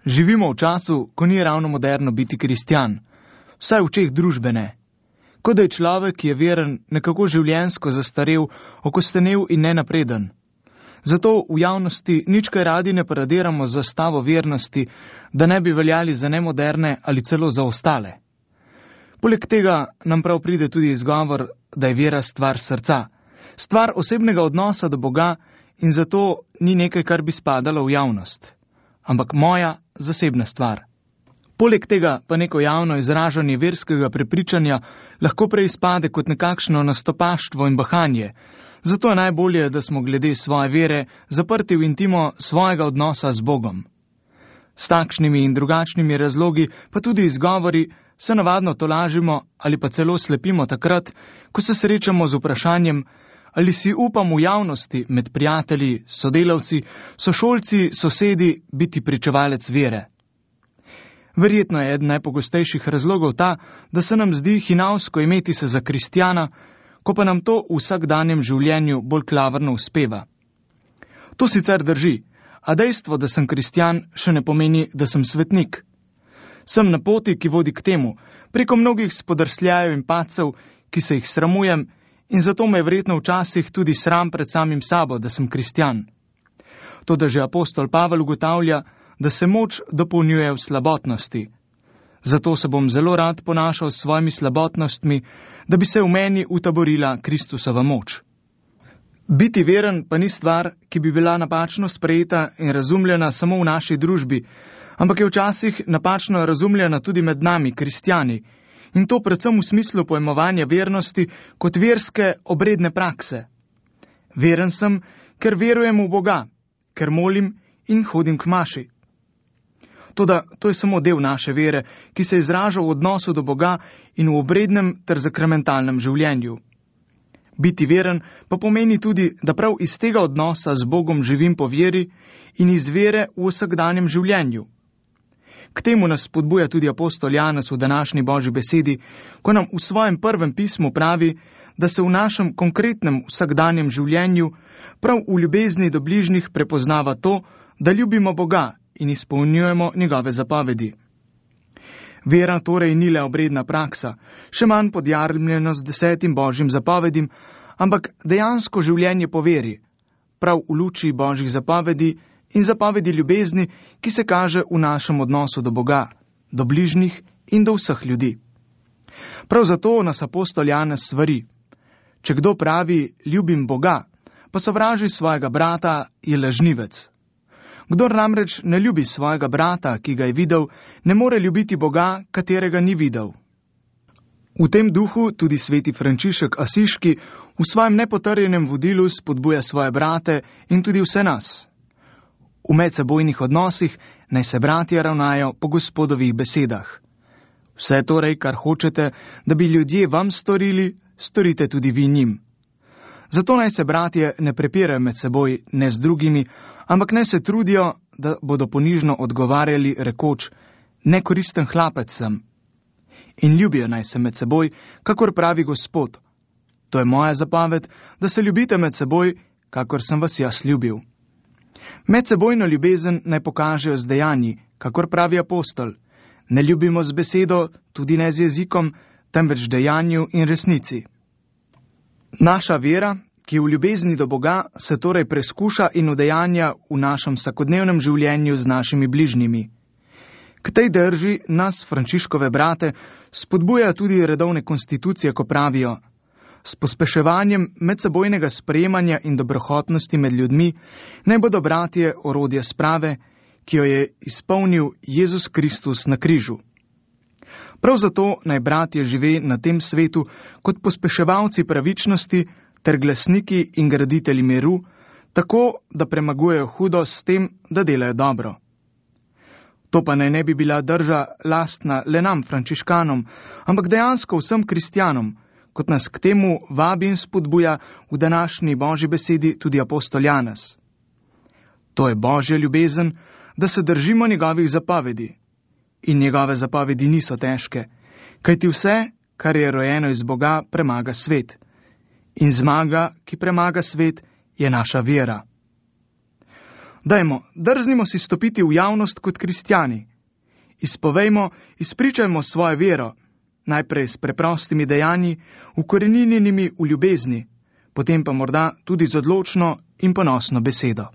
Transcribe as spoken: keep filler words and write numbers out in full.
Živimo v času, ko ni ravno moderno biti kristjan, vsaj v očeh družbe ne. Kot da je človek, ki je veren, nekako življenjsko zastarel, okostenel in nenapreden. Zato v javnosti nič kaj radi ne paradiramo z zastavo vernosti, da ne bi veljali za nemoderne ali celo za ostale. Poleg tega nam prav pride tudi izgovor, da je vera stvar srca, stvar osebnega odnosa do Boga in zato ni nekaj, kar bi spadalo v javnost, ampak moja zasebna stvar. Poleg tega pa neko javno izražanje verskega prepričanja lahko prej izpade kot nekakšno nastopaštvo in bahanje, zato je najbolje, da smo glede svoje vere zaprti v intimo svojega odnosa z Bogom. S takšnimi in drugačnimi razlogi, pa tudi izgovori, se navadno tolažimo ali pa celo slepimo takrat, ko se srečamo z vprašanjem, ali si upam v javnosti med prijatelji, sodelavci, sošolci, sosedi biti pričevalec vere. Verjetno je eden najpogostejših razlogov ta, da se nam zdi hinavsko imeti se za kristjana, ko pa nam to v vsakdanjem življenju bolj klavrno uspeva. To sicer drži, a dejstvo, da sem kristjan, še ne pomeni, da sem svetnik. Sem na poti, ki vodi k temu, preko mnogih spodrsljajev in padcev, ki se jih sramujem, in zato me je verjetno včasih tudi sram pred samim sabo, da sem kristjan. Toda že apostol Pavel ugotavlja, da se moč dopolnjuje v slabotnosti. Zato se bom zelo rad ponašal s svojimi slabotnostmi, da bi se v meni utaborila Kristusova moč. Biti veren pa ni stvar, ki bi bila napačno sprejeta in razumljena samo v naši družbi, ampak je včasih napačno razumljena tudi med nami, kristjani, in to predvsem v smislu pojmovanja vernosti kot verske obredne prakse. Veren sem, ker verujem v Boga, ker molim in hodim k maši. Toda to je samo del naše vere, ki se izraža v odnosu do Boga in v obrednem ter zakramentalnem življenju. Biti veren pa pomeni tudi, da prav iz tega odnosa z Bogom živim po veri in iz vere v vsakdanjem življenju. K temu nas spodbuja tudi apostol Janez v današnji Božji besedi, ko nam v svojem prvem pismu pravi, da se v našem konkretnem vsakdanjem življenju prav v ljubezni do bližnjih prepoznava to, da ljubimo Boga in izpolnjujemo njegove zapovedi. Vera torej ni le obredna praksa, še manj podjarmljeno z desetim Božjim zapovedim, ampak dejansko življenje po veri, prav v luči Božjih zapovedi in zapovedi ljubezni, ki se kaže v našem odnosu do Boga, do bližnjih in do vseh ljudi. Prav zato nas apostol Janez svari. Če kdo pravi, ljubim Boga, pa sovraži svojega brata, je lažnivec. Kdor namreč ne ljubi svojega brata, ki ga je videl, ne more ljubiti Boga, katerega ni videl. V tem duhu tudi sveti Frančišek Asiški v svojem nepotrjenem vodilu spodbuja svoje brate in tudi vse nas. V medsebojnih odnosih naj se bratje ravnajo po Gospodovih besedah. Vse torej, kar hočete, da bi ljudje vam storili, storite tudi vi njim. Zato naj se bratje ne prepirajo med seboj, ne z drugimi, ampak naj se trudijo, da bodo ponižno odgovarjali rekoč, nekoristen hlapec sem. In ljubijo naj se med seboj, kakor pravi Gospod. To je moja zapoved, da se ljubite med seboj, kakor sem vas jaz ljubil. Medsebojno ljubezen naj pokažejo z dejanji, kakor pravi apostol. Ne ljubimo z besedo, tudi ne z jezikom, temveč dejanju in resnici. Naša vera, ki v ljubezni do Boga, se torej preskuša in udejanja v našem vsakodnevnem življenju z našimi bližnjimi. K tej drži nas, Frančiškove brate, spodbuja tudi redovne konstitucije, ko pravijo: s pospeševanjem medsebojnega sprejemanja in dobrohotnosti med ljudmi naj bodo bratje orodje sprave, ki jo je izpolnil Jezus Kristus na križu. Prav zato naj bratje žive na tem svetu kot pospeševalci pravičnosti ter glasniki in graditelji miru, tako, da premagujejo hudost s tem, da delajo dobro. To pa naj ne bi bila drža lastna le nam, frančiškanom, ampak dejansko vsem kristjanom, kot nas k temu vabi in spodbuja v današnji Božji besedi tudi apostol Janez. To je Božja ljubezen, da se držimo njegovih zapovedi. In njegove zapovedi niso težke, kajti vse, kar je rojeno iz Boga, premaga svet. In zmaga, ki premaga svet, je naša vera. Dajmo, drznimo si stopiti v javnost kot kristjani. Izpovejmo, izpričajmo svojo vero, najprej s preprostimi dejanji, ukoreninjenimi v ljubezni, potem pa morda tudi z odločno in ponosno besedo.